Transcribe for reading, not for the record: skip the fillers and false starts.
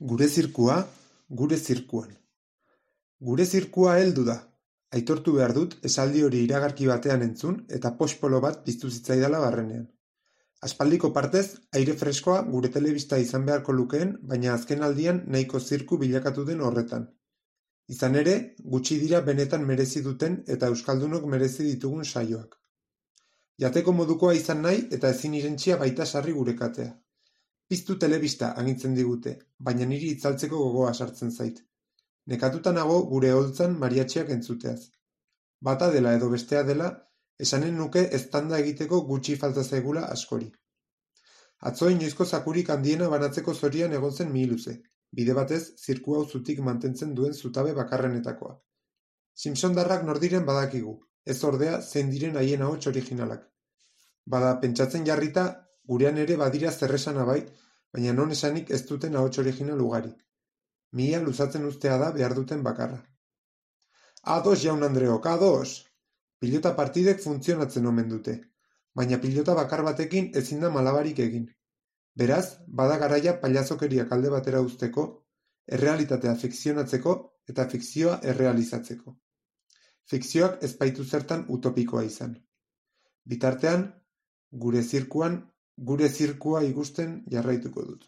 Gure zirkua, gure zirkuan. Gure zirkua heldu da. Aitortu behar dut esaldi hori iragarki batean entzun eta pospolo bat piztu zitzaidala barrenean. Aspaldiko partez, aire freskoa gure telebista izan beharko lukeen, baina azken aldian nahiko zirku bilakatu den horretan. Izan ere, gutxi dira benetan merezi duten eta euskaldunok merezi ditugun saioak. Jateko modukoa izan nahi eta ezin irentsia baita sarri gure katea. Piztu telebista agintzen digute, baina niri itzaltzeko gogoa sartzen zait. Nekatuta nago gure holtzan mariatxiak entzuteaz. Bata dela edo bestea dela, esanen nuke eztanda egiteko gutxi falta zaigula askori. Atzo inoizko zakurik handiena banatzeko zorian egon zen mihiluze, bide batez zirku hau zutik mantentzen duen zutabe bakarrenetakoa. Simpsondarrak nordiren badakigu, ez ordea zein diren haien ahots originalak. Bada pentsatzen jarrita, gurean ere badira zerresana bai, baina non esanik ez duten ahots original ugari. Mihia luzatzen ustea da behar duten bakarra. Ados, jaun Andreok, ados! Pilota partidek funtzionatzen omen dute, baina pilota bakar batekin ezin da malabarik egin. Beraz, bada garaia pailazokeriak alde batera uzteko, errealitatea fikzionatzeko eta fikzioa errealizatzeko. Fikzioak ez baitu zertan utopikoa izan. Bitartean, gure zirkuan, gure zirkua ikusten jarraituko dut.